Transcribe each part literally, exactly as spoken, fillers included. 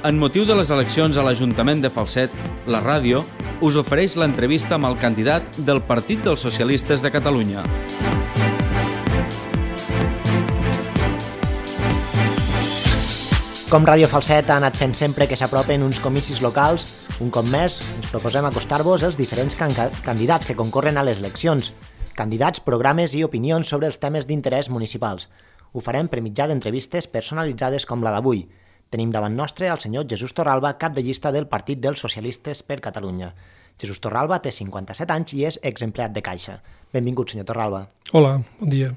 En motiu de les eleccions a l'Ajuntament de Falset, la ràdio us ofereix l'entrevista amb el candidat del Partit dels Socialistes de Catalunya. Com Ràdio Falset ha anat fent sempre que s'apropen uns comicis locals, un cop més ens proposem acostar-vos els diferents can candidats que concorren a les eleccions, candidats, programes i opinions sobre els temes d'interès municipals. Ho farem per mitjà d'entrevistes personalitzades com la d'avui. Tenim davant nostre el senyor Jesús Torralba, cap de llista del Partit dels Socialistes per Catalunya. Jesús Torralba té cinquanta-set anys i és exempleat de Caixa. Benvingut, senyor Torralba. Hola, bon dia.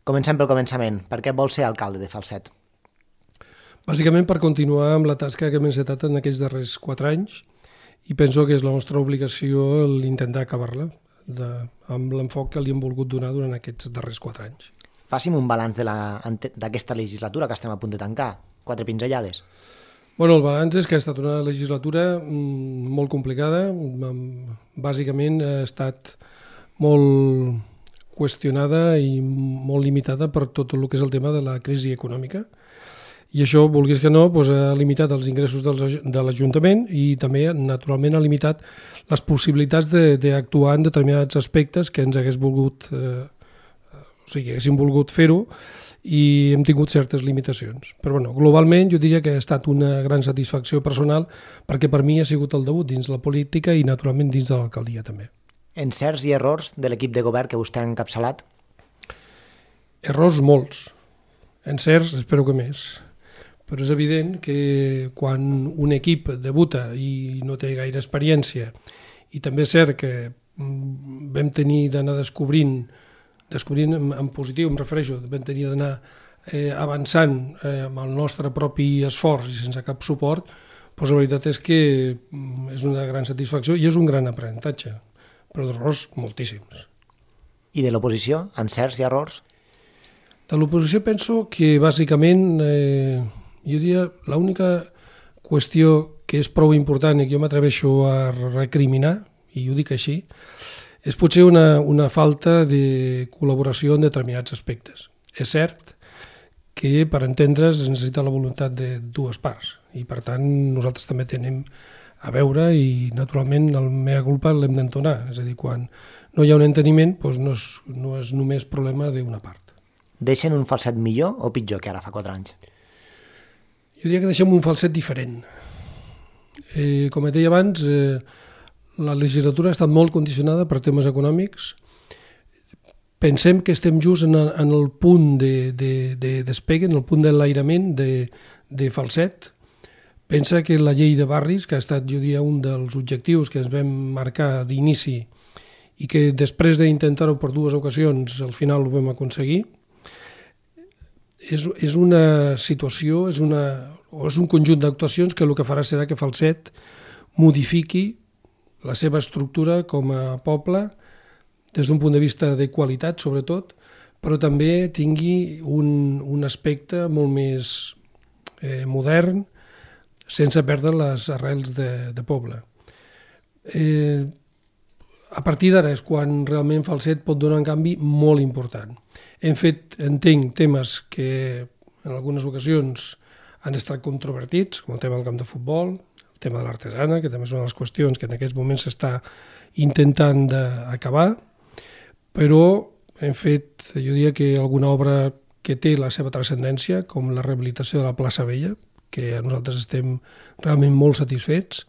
Comencem pel començament. Per què vol ser alcalde de Falset? Bàsicament per continuar amb la tasca que hem encetat en aquests darrers quatre anys i penso que és la nostra obligació l'intentar acabar-la amb l'enfoc que li hem volgut donar durant aquests darrers quatre anys. Faci'm un balanç d'aquesta legislatura que estem a punt de tancar. Quatre pinzellades. Bueno, el balanç és que ha estat una legislatura molt complicada. Bàsicament ha estat molt qüestionada i molt limitada per tot el que és el tema de la crisi econòmica. I això, vulguis que no, doncs ha limitat els ingressos de l'Ajuntament i també, naturalment, ha limitat les possibilitats d'actuar en determinats aspectes que ens hagués volgut, eh, o sigui, haguéssim volgut fer-ho, i hem tingut certes limitacions. Però bueno, globalment jo diria que ha estat una gran satisfacció personal perquè per mi ha sigut el debut dins la política i naturalment dins de l'alcaldia també. Encerts i errors de l'equip de govern que vostè ha encapçalat? Errors molts. Encerts espero que més. Però és evident que quan un equip debuta i no té gaire experiència i també és cert que vam tenir d'anar descobrint descobrint en positiu, em refereixo, vam tenir d'anar eh, avançant eh, amb el nostre propi esforç i sense cap suport, doncs la veritat és que és una gran satisfacció i és un gran aprenentatge, però d'errors moltíssims. I de l'oposició, encerts i errors? De l'oposició penso que bàsicament, eh, jo diria, l'única qüestió que és prou important i que jo m'atreveixo a recriminar, i ho dic així, és potser una, una falta de col·laboració en determinats aspectes. És cert que per entendre's es necessita la voluntat de dues parts i per tant nosaltres també tenim a veure i naturalment el mea culpa l'hem d'entonar. És a dir, quan no hi ha un enteniment doncs no, és, no és només problema d'una part. Deixen un Falset millor o pitjor que ara fa quatre anys? Jo diria que deixem un Falset diferent. Eh, com et deia abans, eh, la legislatura ha estat molt condicionada per temes econòmics. Pensem que estem just en el, en el punt de, de, de despegue, en el punt de l'airament de, de Falset. Pensa que la llei de barris, que ha estat, jo diria, un dels objectius que ens vam marcar d'inici i que després d'intentar-ho per dues ocasions al final ho vam aconseguir, és, és una situació, és, una, o és un conjunt d'actuacions que el que farà serà que Falset modifiqui la seva estructura com a poble des d'un punt de vista de qualitat, sobretot, però també tingui un, un aspecte molt més eh, modern, sense perdre les arrels de, de poble. Eh, a partir d'ara és quan realment Falset pot donar un canvi molt important. Hem fet, entenc, temes que en algunes ocasions han estat controvertits, com el tema del camp de futbol, el tema de l'artesana, que també és una de les qüestions que en aquests moments s'està intentant d'acabar, però hem fet, jo diria que alguna obra que té la seva transcendència, com la rehabilitació de la plaça Vella, que nosaltres estem realment molt satisfets,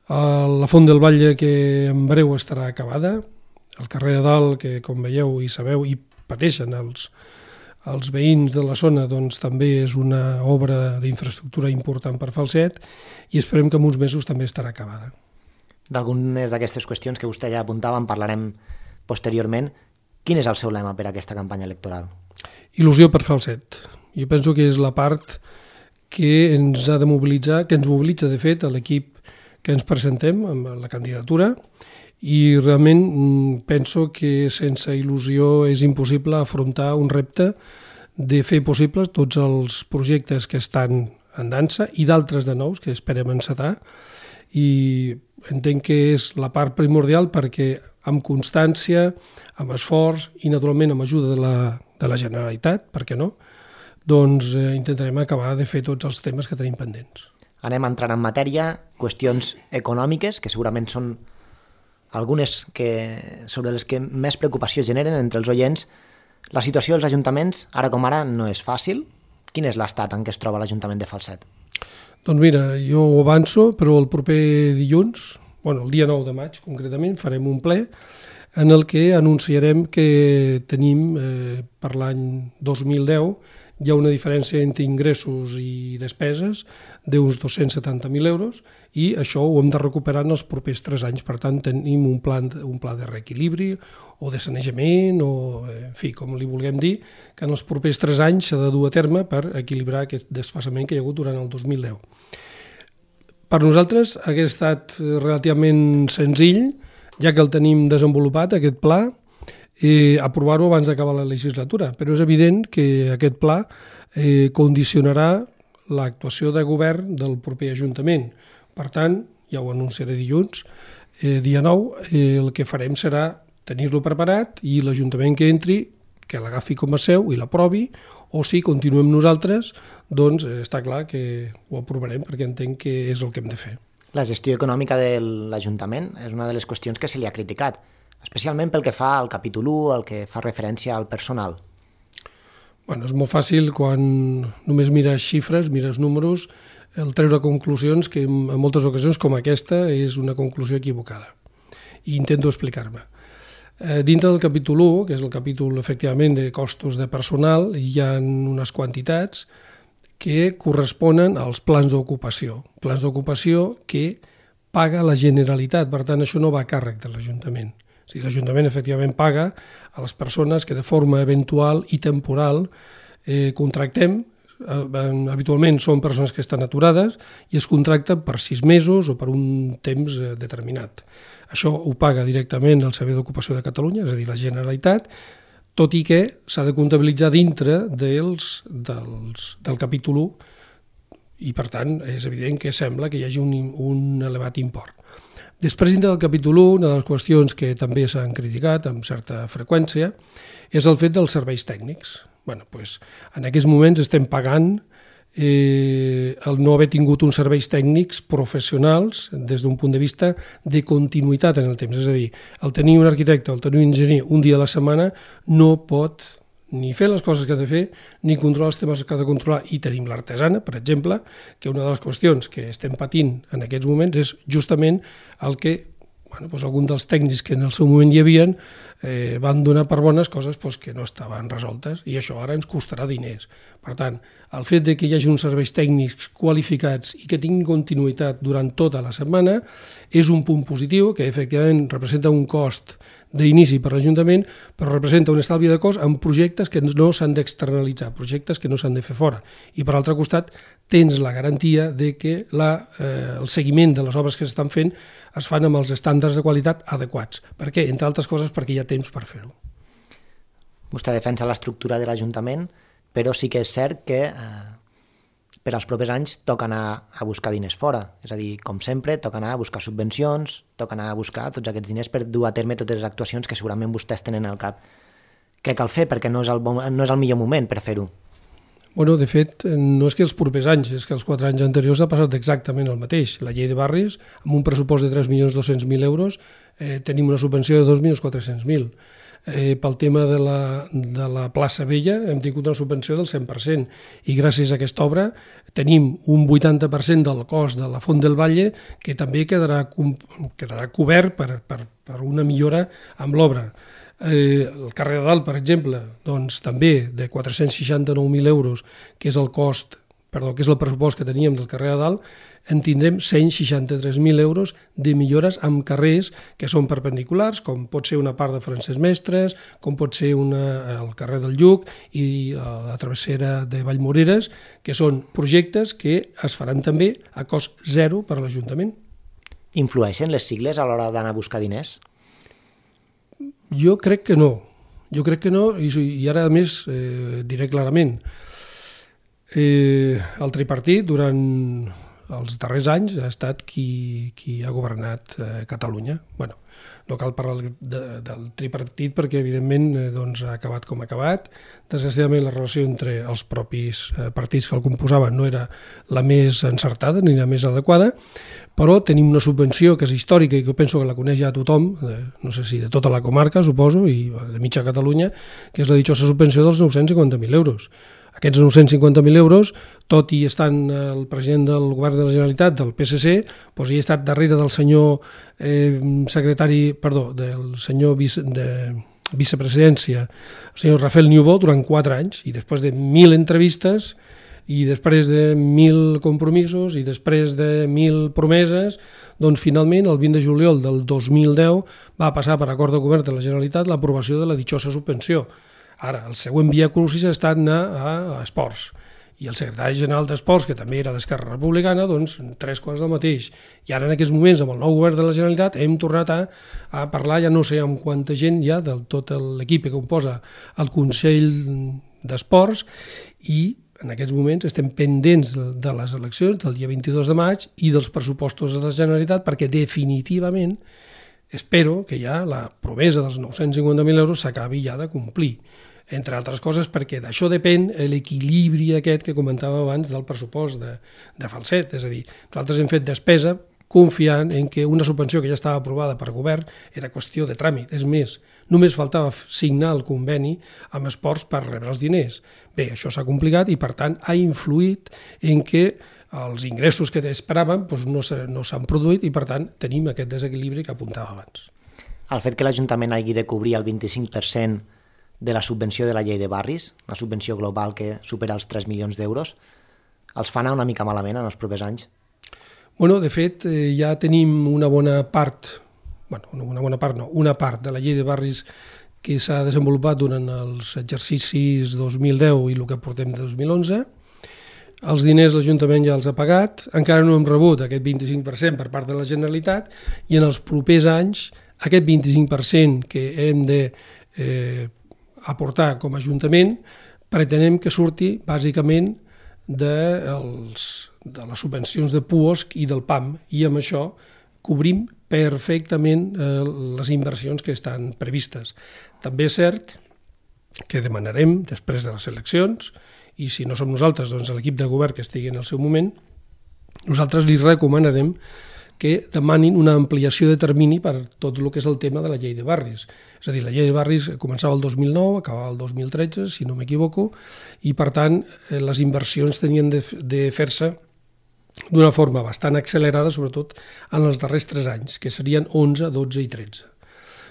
la Font del Batlle, que en breu estarà acabada, el carrer de Dalt, que com veieu i sabeu i pateixen els els veïns de la zona, doncs també és una obra d'infraestructura important per Falset i esperem que en uns mesos també estarà acabada. D'algunes d'aquestes qüestions que vostè ja apuntava en parlarem posteriorment. Quin és el seu lema per a aquesta campanya electoral? Il·lusió per Falset. Jo penso que és la part que ens ha de mobilitzar, que ens mobilitza de fet a l'equip que ens presentem amb la candidatura i realment penso que sense il·lusió és impossible afrontar un repte de fer possibles tots els projectes que estan en dansa i d'altres de nous que esperem encetar i entenc que és la part primordial perquè amb constància, amb esforç i naturalment amb ajuda de la, de la Generalitat, per què no, doncs eh, intentarem acabar de fer tots els temes que tenim pendents. anem entrant en matèria, qüestions econòmiques, que segurament són algunes que, sobre les que més preocupació generen entre els oients. La situació dels ajuntaments, ara com ara, no és fàcil. Quin és l'estat en què es troba l'Ajuntament de Falset? Doncs mira, jo ho avanço, però el proper dilluns, bueno, el dia nou de maig concretament, farem un ple en el que anunciarem que tenim eh, per l'any dos mil deu hi ha una diferència entre ingressos i despeses d'uns dos-cents setanta mil euros i això ho hem de recuperar en els propers tres anys. Per tant, tenim un pla, un pla de reequilibri o de sanejament o, en fi, com li vulguem dir, que en els propers tres anys s'ha de dur a terme per equilibrar aquest desfasament que hi ha hagut durant el dos mil deu. Per nosaltres hauria estat relativament senzill, ja que el tenim desenvolupat, aquest pla, eh, aprovar-ho abans d'acabar la legislatura, però és evident que aquest pla eh, condicionarà l'actuació de govern del proper Ajuntament. Per tant, ja ho anunciaré dilluns, eh, dia nou, eh, el que farem serà tenir-lo preparat i l'Ajuntament que entri, que l'agafi com a seu i l'aprovi, o si continuem nosaltres, doncs eh, està clar que ho aprovarem perquè entenc que és el que hem de fer. La gestió econòmica de l'Ajuntament és una de les qüestions que se li ha criticat, especialment pel que fa al capítol u, el que fa referència al personal. Bueno, és molt fàcil quan només mires xifres, mires números, el treure conclusions que en moltes ocasions com aquesta és una conclusió equivocada. I intento explicar-me. Eh, dintre del capítol u, que és el capítol efectivament de costos de personal, hi ha unes quantitats que corresponen als plans d'ocupació. Plans d'ocupació que paga la Generalitat, per tant això no va a càrrec de l'Ajuntament. O sigui, l'Ajuntament efectivament paga a les persones que de forma eventual i temporal eh, contractem. Eh, habitualment són persones que estan aturades i es contracten per sis mesos o per un temps eh, determinat. Això ho paga directament el Servei d'Ocupació de Catalunya, és a dir, la Generalitat, tot i que s'ha de comptabilitzar dintre dels, dels, del capítol u i, per tant, és evident que sembla que hi hagi un, un elevat import. Després, dintre del capítol u, una de les qüestions que també s'han criticat amb certa freqüència és el fet dels serveis tècnics. Bueno, doncs, en aquests moments estem pagant eh, el no haver tingut uns serveis tècnics professionals des d'un punt de vista de continuïtat en el temps. És a dir, el tenir un arquitecte o el tenir un enginyer un dia a la setmana no pot ni fer les coses que ha de fer, ni controlar els temes que ha de controlar. I tenim l'artesana, per exemple, que una de les qüestions que estem patint en aquests moments és justament el que bueno, doncs alguns dels tècnics que en el seu moment hi havia eh, van donar per bones coses doncs, que no estaven resoltes i això ara ens costarà diners. Per tant, el fet de que hi hagi uns serveis tècnics qualificats i que tinguin continuïtat durant tota la setmana és un punt positiu que efectivament representa un cost d'inici per l'Ajuntament, però representa un estalvi de cost en projectes que no s'han d'externalitzar, projectes que no s'han de fer fora. I per altre costat, tens la garantia de que la, eh, el seguiment de les obres que s'estan fent es fan amb els estàndards de qualitat adequats. Per què? Entre altres coses perquè hi ha temps per fer-ho. Vostè defensa l'estructura de l'Ajuntament, però sí que és cert que eh, per als propers anys toca anar a buscar diners fora. És a dir, com sempre, toca anar a buscar subvencions, toca anar a buscar tots aquests diners per dur a terme totes les actuacions que segurament vostès tenen al cap que cal fer, perquè no és el, bon, no és el millor moment per fer-ho. Bueno, de fet, no és que els propers anys, és que els quatre anys anteriors ha passat exactament el mateix. La llei de barris, amb un pressupost de tres milions dos-cents mil euros, eh, tenim una subvenció de dos milions quatre-cents mil. Eh, pel tema de la, de la plaça Vella hem tingut una subvenció del cent per cent i gràcies a aquesta obra tenim un vuitanta per cent del cost de la Font del Valle que també quedarà, quedarà cobert per, per, per una millora amb l'obra. Eh, el carrer de Dalt, per exemple, doncs també de quatre-cents seixanta-nou mil euros, que és el cost, perdó, que és el pressupost que teníem del carrer de Dalt, en tindrem cent seixanta-tres mil euros de millores amb carrers que són perpendiculars, com pot ser una part de Francesc Mestres, com pot ser una, el carrer del Lluc i la travessera de Vallmoreres, que són projectes que es faran també a cost zero per a l'Ajuntament. Influeixen les sigles a l'hora d'anar a buscar diners? Jo crec que no. Jo crec que no, i, i ara a més eh, diré clarament. Eh, el tripartit, durant els darrers anys ha estat qui, qui ha governat eh, Catalunya. Bueno, no cal parlar de, del tripartit perquè, evidentment, eh, doncs, ha acabat com ha acabat. Desgraciadament, la relació entre els propis eh, partits que el composaven no era la més encertada ni la més adequada, però tenim una subvenció que és històrica i que penso que la coneix ja tothom, eh, no sé si de tota la comarca, suposo, i de mitja Catalunya, que és la ditxosa subvenció dels nou-cents cinquanta mil euros. Aquests nou-cents cinquanta mil euros, tot i estant el president del govern de la Generalitat, del P S C, doncs hi ha estat darrere del senyor eh, secretari, perdó, del senyor vice, de vicepresidència, el senyor Rafael Niubó, durant quatre anys, i després de mil entrevistes, i després de mil compromisos, i després de mil promeses, doncs finalment, el vint de juliol del dos mil deu, va passar per acord de govern de la Generalitat l'aprovació de la ditxosa subvenció. Ara, el següent via crucis ha estat anar a, a Esports. I el secretari general d'Esports, que també era d'Esquerra Republicana, doncs tres quarts del mateix. I ara, en aquests moments, amb el nou govern de la Generalitat, hem tornat a, a parlar, ja no sé amb quanta gent ja, de tot l'equip que composa el Consell d'Esports, i en aquests moments estem pendents de les eleccions del dia vint-i-dos de maig i dels pressupostos de la Generalitat, perquè definitivament espero que ja la promesa dels nou-cents cinquanta mil euros s'acabi ja de complir, entre altres coses perquè d'això depèn l'equilibri aquest que comentava abans del pressupost de, de Falset, és a dir, nosaltres hem fet despesa confiant en que una subvenció que ja estava aprovada per govern era qüestió de tràmit, és més, només faltava signar el conveni amb Esports per rebre els diners. Bé, això s'ha complicat i per tant ha influït en que els ingressos que esperàvem doncs no s'han produït i, per tant, tenim aquest desequilibri que apuntava abans. El fet que l'Ajuntament hagi de cobrir el vint-i-cinc per cent de la subvenció de la llei de barris, la subvenció global que supera els tres milions d'euros, els fa anar una mica malament en els propers anys? Bueno, de fet, eh, ja tenim una bona part, bueno, una bona part no, una part de la llei de barris que s'ha desenvolupat durant els exercicis dos mil deu i el que portem de dos mil onze. Els diners l'Ajuntament ja els ha pagat, encara no hem rebut aquest vint-i-cinc per cent per part de la Generalitat i en els propers anys aquest vint-i-cinc per cent que hem de eh, aportar com a Ajuntament pretenem que surti bàsicament de, els, de les subvencions de Puosc i del P A M i amb això cobrim perfectament eh, les inversions que estan previstes. També és cert que demanarem després de les eleccions i si no som nosaltres, doncs l'equip de govern que estigui en el seu moment, nosaltres li recomanarem que demanin una ampliació de termini per tot el que és el tema de la llei de barris. És a dir, la llei de barris començava el dos mil nou, acabava el dos mil tretze, si no m'equivoco, i per tant les inversions tenien de, de fer-se d'una forma bastant accelerada, sobretot en els darrers tres anys, que serien onze, dotze i tretze.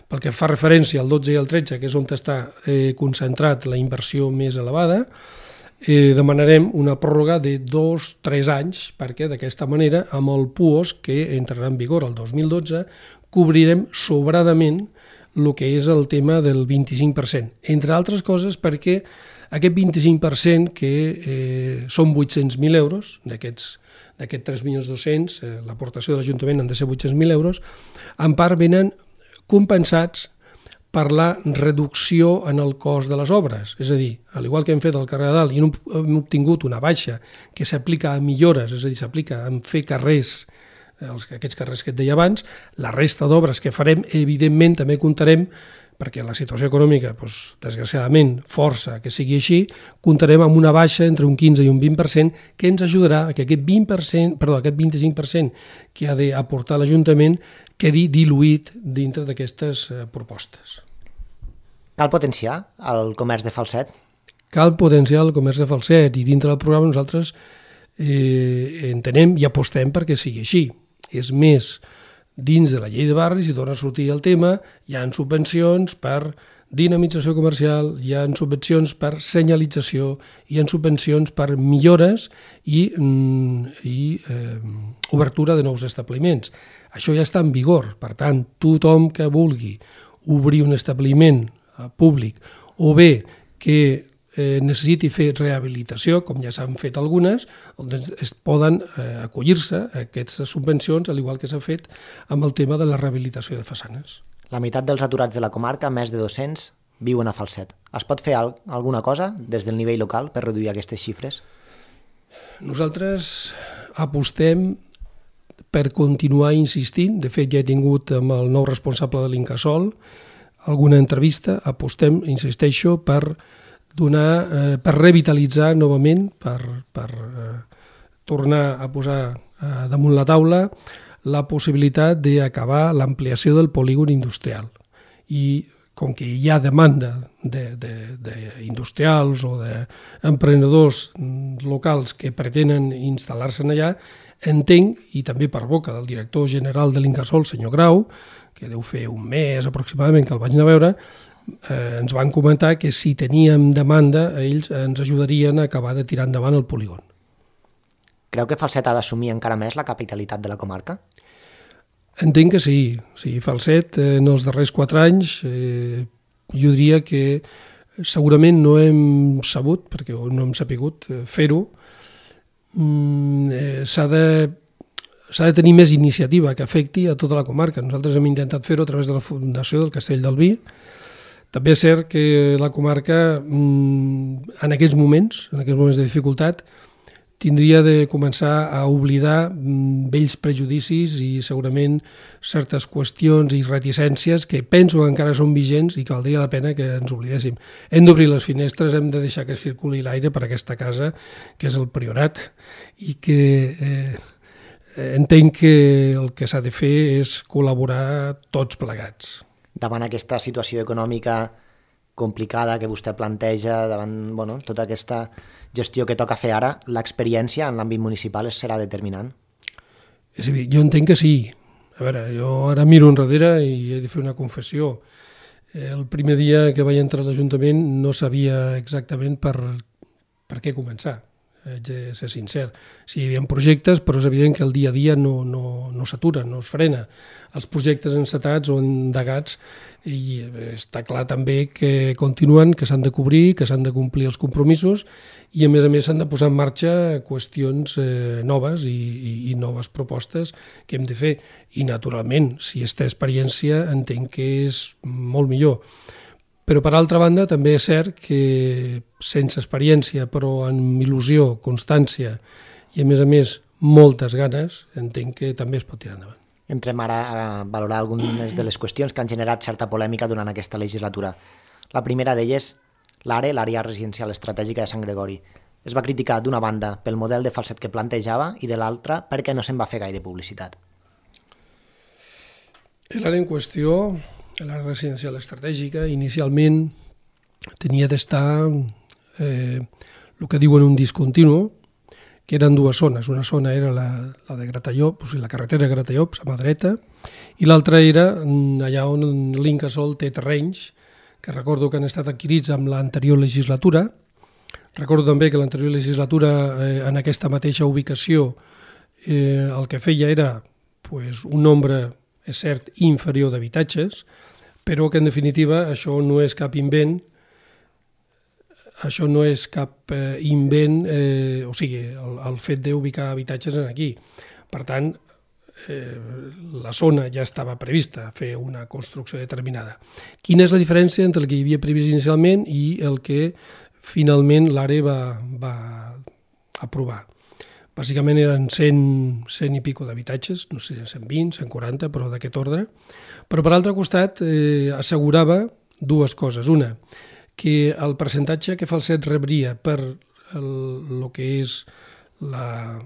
Pel que fa referència al dotze i al tretze, que és on està eh, concentrat la inversió més elevada, Eh, demanarem una pròrroga de dos o tres anys perquè d'aquesta manera amb el Puosc que entrarà en vigor el dos mil dotze cobrirem sobradament el que és el tema del vint-i-cinc per cent, entre altres coses perquè aquest vint-i-cinc per cent que eh, són vuit-cents mil euros, d'aquests d'aquests tres milions dos-cents, eh, l'aportació de l'Ajuntament han de ser vuit-cents mil euros, en part venen compensats per la reducció en el cost de les obres. És a dir, al igual que hem fet al carrer de Dalt i hem obtingut una baixa que s'aplica a millores, és a dir, s'aplica a fer carrers, aquests carrers que et deia abans, la resta d'obres que farem, evidentment, també comptarem, perquè la situació econòmica, doncs, desgraciadament, força que sigui així, comptarem amb una baixa entre un quinze i un vint per cent que ens ajudarà a que aquest vint per cent, perdó, aquest vint-i-cinc per cent que ha d'aportar l'Ajuntament quedi diluït dintre d'aquestes propostes. Cal potenciar el comerç de Falset? Cal potenciar el comerç de Falset i dintre del programa nosaltres eh, entenem i apostem perquè sigui així. És més, dins de la llei de barris, i torna a sortir el tema, hi ha subvencions per dinamització comercial, hi ha subvencions per senyalització, hi ha subvencions per millores i, i eh, obertura de nous establiments. Això ja està en vigor, per tant, tothom que vulgui obrir un establiment públic o bé que eh, necessiti fer rehabilitació, com ja s'han fet algunes, doncs es poden eh, acollir-se a aquestes subvencions, al igual que s'ha fet amb el tema de la rehabilitació de façanes. La meitat dels aturats de la comarca, més de dos-cents, viuen a Falset. Es pot fer alguna cosa des del nivell local per reduir aquestes xifres? Nosaltres apostem per continuar insistint. De fet, ja he tingut amb el nou responsable de l'Incasòl alguna entrevista. Apostem, insisteixo, per donar, eh, per revitalitzar novament, per, per eh, tornar a posar eh, damunt la taula la possibilitat d'acabar l'ampliació del polígon industrial. I com que hi ha demanda d'industrials o d'emprenedors locals que pretenen instal·lar-se allà, entenc, i també per boca del director general de l'Incasòl, senyor Grau, que deu fer un mes aproximadament que el vaig anar a veure, eh, ens van comentar que si teníem demanda, ells ens ajudarien a acabar de tirar endavant el polígon. Creu que Falset ha d'assumir encara més la capitalitat de la comarca? Entenc que sí. sí Falset, eh, en els darrers quatre anys, eh, jo diria que segurament no hem sabut, perquè no hem sapigut eh, fer-ho, mm, eh, s'ha de, s'ha de tenir més iniciativa que afecti a tota la comarca. Nosaltres hem intentat fer-ho a través de la Fundació del Castell del Vi. També és cert que la comarca, mm, en aquests moments, en aquests moments de dificultat, tindria de començar a oblidar vells prejudicis i segurament certes qüestions i reticències que penso que encara són vigents i que valdria la pena que ens oblidéssim. Hem d'obrir les finestres, hem de deixar que circuli l'aire per aquesta casa, que és el Priorat, i que eh, entenc que el que s'ha de fer és col·laborar tots plegats. Davant aquesta situació econòmica complicada que vostè planteja, davant bueno, tota aquesta gestió que toca fer ara, l'experiència en l'àmbit municipal serà determinant? És a dir, jo entenc que sí. A veure, jo ara miro enrere i he de fer una confessió. El primer dia que vaig entrar a l'Ajuntament no sabia exactament per, per què començar. Haig de ser sincer. Sí, hi havia projectes, però és evident que el dia a dia no, no, no s'atura, no es frena. Els projectes encetats o endegats, i està clar també que continuen, que s'han de cobrir, que s'han de complir els compromisos i a més a més s'han de posar en marxa qüestions eh, noves i, i, i noves propostes que hem de fer. I naturalment, si es té experiència, entenc que és molt millor. Però, per altra banda, també és cert que sense experiència, però amb il·lusió, constància i, a més a més, moltes ganes, entenc que també es pot tirar endavant. Entrem ara a valorar algunes de les qüestions que han generat certa polèmica durant aquesta legislatura. La primera d'elles, l'ARE, l'àrea residencial estratègica de Sant Gregori. Es va criticar d'una banda pel model de Falset que plantejava i de l'altra perquè no se'n va fer gaire publicitat. L'àrea en qüestió, l'àrea residencial estratègica, inicialment tenia d'estar eh, el que diuen un discontinu, que eren dues zones. Una zona era la, la de Gratallops, o sigui, la carretera de Gratallops, a mà dreta, i l'altra era allà on l'Incasòl té terrenys, que recordo que han estat adquirits amb l'anterior legislatura. Recordo també que l'anterior legislatura, eh, en aquesta mateixa ubicació, eh, el que feia era pues, un nombre, és cert, inferior d'habitatges, però que en definitiva això no és cap invent, això no és cap eh, invent, eh, o sigui, el, el fet d'ubicar habitatges aquí. Per tant, eh, la zona ja estava prevista fer una construcció determinada. Quina és la diferència entre el que hi havia previst inicialment i el que finalment l'ARE va, va aprovar? Bàsicament eren cent, cent i pico d'habitatges, no sé, cent vint, cent quaranta, però d'aquest ordre. Però per altre costat eh, assegurava dues coses. Una, que el percentatge que Falset rebria per el, el que és la,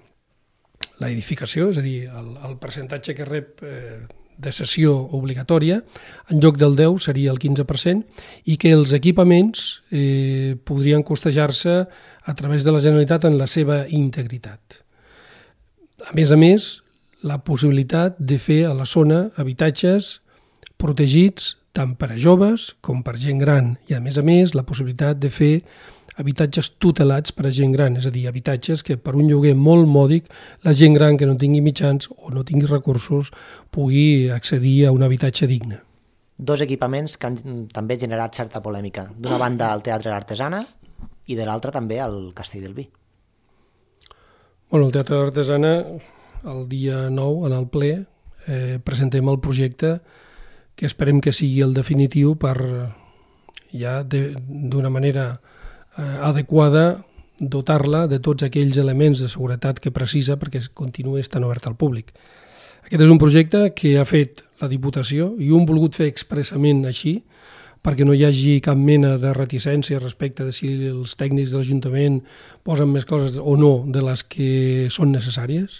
la edificació, és a dir, el, el percentatge que rep eh, de cessió obligatòria, en lloc del deu seria el quinze per cent, i que els equipaments eh, podrien costejar-se a través de la Generalitat en la seva integritat. A més a més, la possibilitat de fer a la zona habitatges protegits tant per a joves com per gent gran, i a més a més la possibilitat de fer habitatges tutelats per a gent gran, és a dir, habitatges que per un lloguer molt mòdic la gent gran que no tingui mitjans o no tingui recursos pugui accedir a un habitatge digne. Dos equipaments que han també generat certa polèmica. D'una banda el Teatre Artesana i de l'altra també el Castell del Vi. Bueno, el Teatre Artesana, el dia nou, en el ple, eh, presentem el projecte que esperem que sigui el definitiu per ja d'una manera eh, adequada dotar-la de tots aquells elements de seguretat que precisa perquè continuï estant oberta al públic. Aquest és un projecte que ha fet la Diputació i ho hem volgut fer expressament així perquè no hi hagi cap mena de reticència respecte de si els tècnics de l'Ajuntament posen més coses o no de les que són necessàries.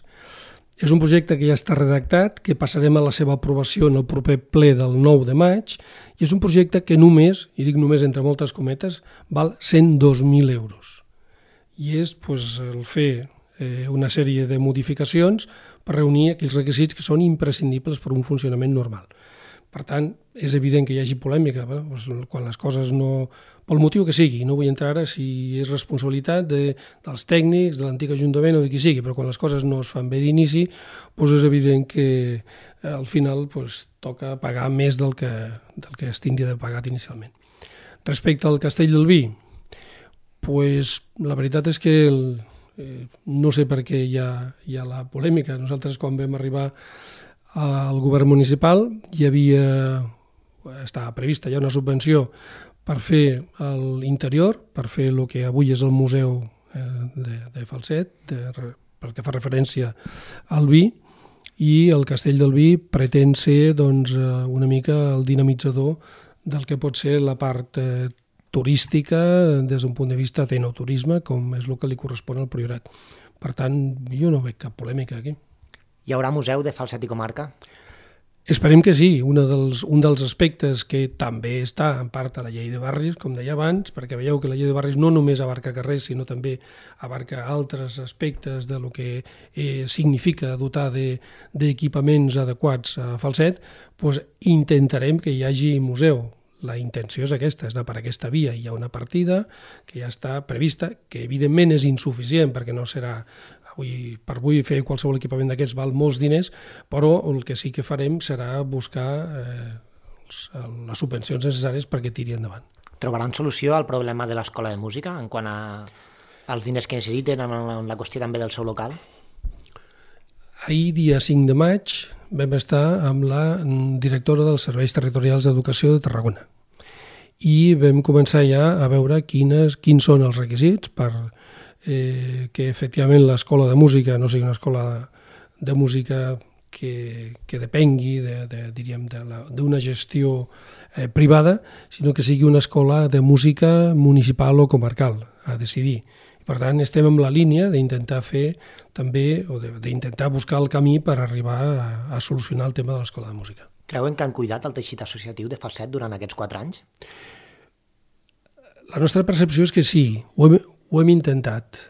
És un projecte que ja està redactat, que passarem a la seva aprovació en el proper ple del nou de maig, i és un projecte que només, i dic només entre moltes cometes, val cent dos mil euros. I és pues, el fer eh, una sèrie de modificacions per reunir aquells requisits que són imprescindibles per un funcionament normal. Per tant, és evident que hi hagi polèmica, doncs, quan les coses no... pel motiu que sigui, no vull entrar ara si és responsabilitat de, dels tècnics, de l'antic Ajuntament o de qui sigui, però quan les coses no es fan bé d'inici, doncs és evident que al final doncs, toca pagar més del que, del que es tindria de pagar inicialment. Respecte al Castell del Vi, doncs, la veritat és que el, eh, no sé per què hi ha, hi ha la polèmica. Nosaltres quan vam arribar al govern municipal hi havia, estava prevista ja una subvenció per fer l'interior, per fer el que avui és el Museu de, de Falset, de, perquè fa referència al vi, i el Castell del Vi pretén ser doncs, una mica el dinamitzador del que pot ser la part eh, turística des d'un punt de vista d'enoturisme, com és el que li correspon al Priorat. Per tant, jo no veig cap polèmica aquí. Hi haurà museu de Falset i comarca? Esperem que sí. Un dels, un dels aspectes que també està en part a la llei de barris, com deia abans, perquè veieu que la llei de barris no només abarca carrers, sinó també abarca altres aspectes de lo que eh, significa dotar d'equipaments de, adequats a Falset, doncs intentarem que hi hagi museu. La intenció és aquesta, és anar per aquesta via. Hi ha una partida que ja està prevista, que evidentment és insuficient perquè no serà... Avui, per avui fer qualsevol equipament d'aquests val molts diners, però el que sí que farem serà buscar eh, les subvencions necessàries perquè tiri endavant. Trobaran solució al problema de l'escola de música en quant a, als diners que necessiten, en la qüestió també del seu local? Ahir, dia cinc de maig, vam estar amb la directora dels Serveis Territorials d'Educació de Tarragona i vam començar ja a veure quines, quins són els requisits per eh, que efectivament l'escola de música no sigui una escola de música que, que depengui de, de, diríem, d'una gestió eh, privada, sinó que sigui una escola de música municipal o comarcal, a decidir. Per tant, estem en la línia d'intentar fer també, o d'intentar buscar el camí per arribar a, a solucionar el tema de l'escola de música. Creuen que han cuidat el teixit associatiu de Falset durant aquests quatre anys? La nostra percepció és que sí, ho hem, ho hem intentat,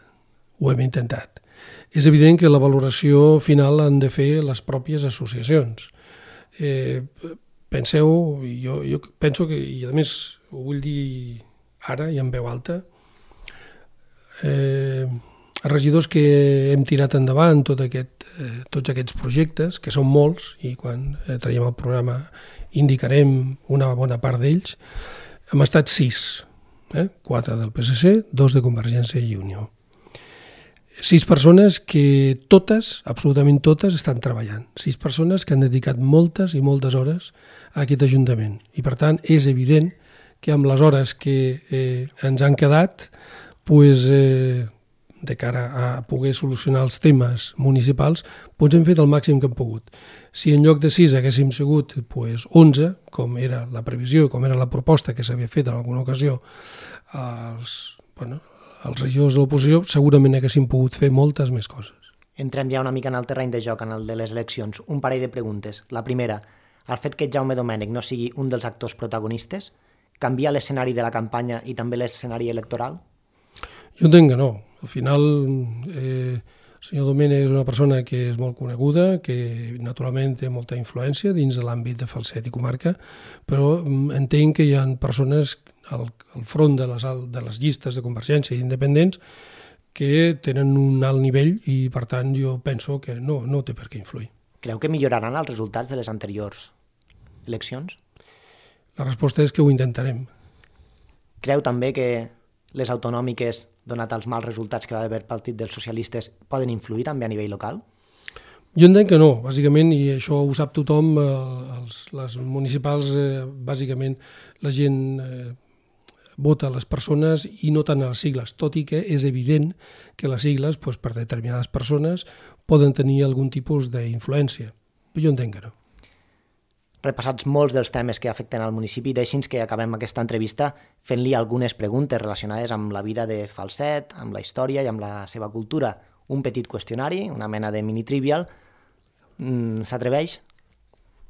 ho hem intentat. És evident que la valoració final l'han de fer les pròpies associacions. Eh, penseu, jo, jo penso que, i a més ho vull dir ara i en veu alta, eh, els regidors que hem tirat endavant tot aquest, eh, tots aquests projectes, que són molts, i quan eh, traiem el programa indicarem una bona part d'ells, hem estat sis, eh? quatre del P S C, dos de Convergència i Unió. Sis persones que totes, absolutament totes, estan treballant. Sis persones que han dedicat moltes i moltes hores a aquest Ajuntament. I per tant és evident que amb les hores que eh, ens han quedat, pues, eh, de cara a poder solucionar els temes municipals, doncs hem fet el màxim que hem pogut. Si en lloc de sis haguéssim sigut pues, onze, com era la previsió, com era la proposta que s'havia fet en alguna ocasió als, bueno, els regidors de l'oposició, segurament haguéssim pogut fer moltes més coses. Entrem ja una mica en el terreny de joc, en el de les eleccions. Un parell de preguntes. La primera, el fet que Jaume Domènech no sigui un dels actors protagonistes canvia l'escenari de la campanya i també l'escenari electoral? Jo entenc que no. Al final, eh, el senyor Domènech és una persona que és molt coneguda, que naturalment té molta influència dins de l'àmbit de Falset i comarca, però entenc que hi ha persones al, al front de les, de les llistes de Convergència i independents que tenen un alt nivell i, per tant, jo penso que no, no té per què influir. Creu que milloraran els resultats de les anteriors eleccions? La resposta és que ho intentarem. Creu també que les autonòmiques, donat els mals resultats que va haver el Partit dels Socialistes, poden influir també a nivell local? Jo entenc que no, bàsicament, i això ho sap tothom, eh, els, les municipals, eh, bàsicament, la gent eh, vota a les persones i no tant a les sigles, tot i que és evident que les sigles, doncs, per determinades persones, poden tenir algun tipus d'influència. Però jo entenc que no. Repassats molts dels temes que afecten al municipi, deixi'ns que acabem aquesta entrevista fent-li algunes preguntes relacionades amb la vida de Falset, amb la història i amb la seva cultura. Un petit qüestionari, una mena de mini-trivial. Mm, s'atreveix?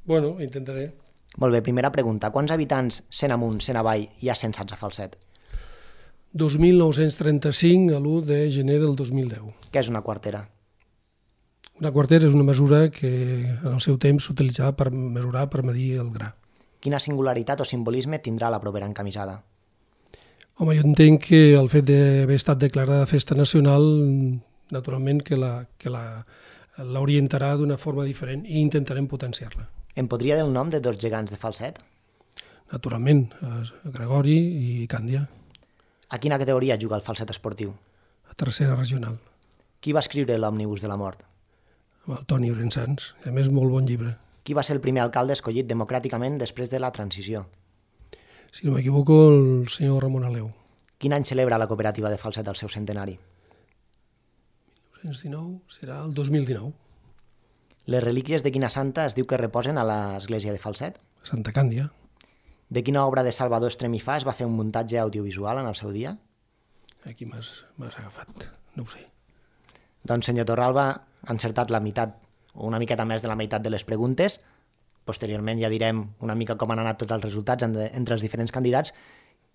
Bueno, intentaré. Molt bé, primera pregunta. Quants habitants, cent amunt, cent avall, hi ha censats a Falset? dos mil nou-cents trenta-cinc a l'u de gener del dos mil deu. Què és una quartera? Una quartera és una mesura que en el seu temps s'utilitzava per mesurar, per medir el gra. Quina singularitat o simbolisme tindrà la propera encamisada? Home, jo entenc que el fet d'haver estat declarada festa nacional, naturalment que la, que la, l'orientarà d'una forma diferent i intentarem potenciar-la. Em podria dir el nom de dos gegants de Falset? Naturalment, Gregori i Càndia. A quina categoria juga el Falset esportiu? A tercera regional. Qui va escriure l'Òmnibus de la mort? Amb el Toni Orensans, a més molt bon llibre. Qui va ser el primer alcalde escollit democràticament després de la transició? Si no m'equivoco, el senyor Ramon Aleu. Quin any celebra la cooperativa de Falset el seu centenari? mil nou-cents dinou serà el dos mil dinou. Les relíquies de quina santa es diu que reposen a l'església de Falset? Santa Càndia. De quina obra de Salvador Estremifà es va fer un muntatge audiovisual en el seu dia? Aquí m'has agafat, no ho sé. Doncs, senyor Torralba, ha encertat la meitat, o una miqueta més de la meitat de les preguntes. Posteriorment ja direm una mica com han anat tots els resultats entre els diferents candidats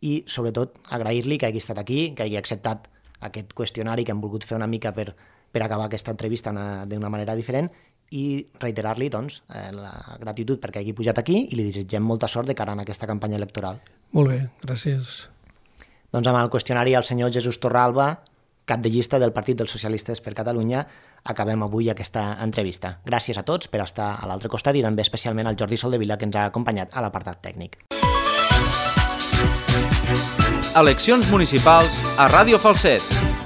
i, sobretot, agrair-li que hagi estat aquí, que hagi acceptat aquest qüestionari que hem volgut fer una mica per, per acabar aquesta entrevista d'una manera diferent i reiterar-li doncs, la gratitud perquè hagi pujat aquí i li desitgem molta sort de cara a aquesta campanya electoral. Molt bé, gràcies. Doncs amb el qüestionari al senyor Jesús Torralba, cap de llista del Partit dels Socialistes per Catalunya, acabem avui aquesta entrevista. Gràcies a tots per estar a l'altre costat i també especialment al Jordi Soldevila que ens ha acompanyat a l'apartat tècnic. Eleccions municipals a Ràdio Falset.